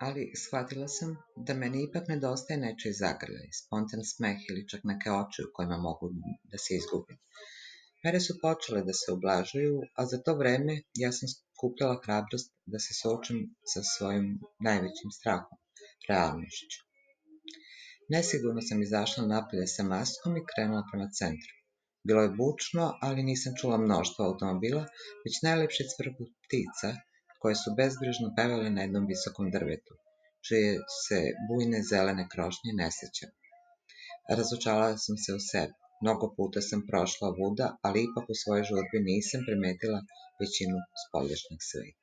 Ali shvatila sam da meni ipak nedostaje nečiji zagrljaj, spontan smeh ili čak neke oči u kojima mogu da se izgubim. Mere su počele da se ublažuju, a za to vreme ja sam skupljala hrabrost da se suočim sa svojim najvećim strahom, realnošću. Nesigurno sam izašla napolje sa maskom i krenula prema centru. Bilo je bučno, ali nisam čula mnoštvo automobila, već najlepši cvrkut ptica koje su bezbrižno pevale na jednom visokom drvetu, čije se bujne zelene krošnje ne sećam. Razočarala sam se u sebi. Mnogo puta sam prošla ovuda, ali ipak u svojoj žurbi nisam primetila većinu spoljašnjeg sveta.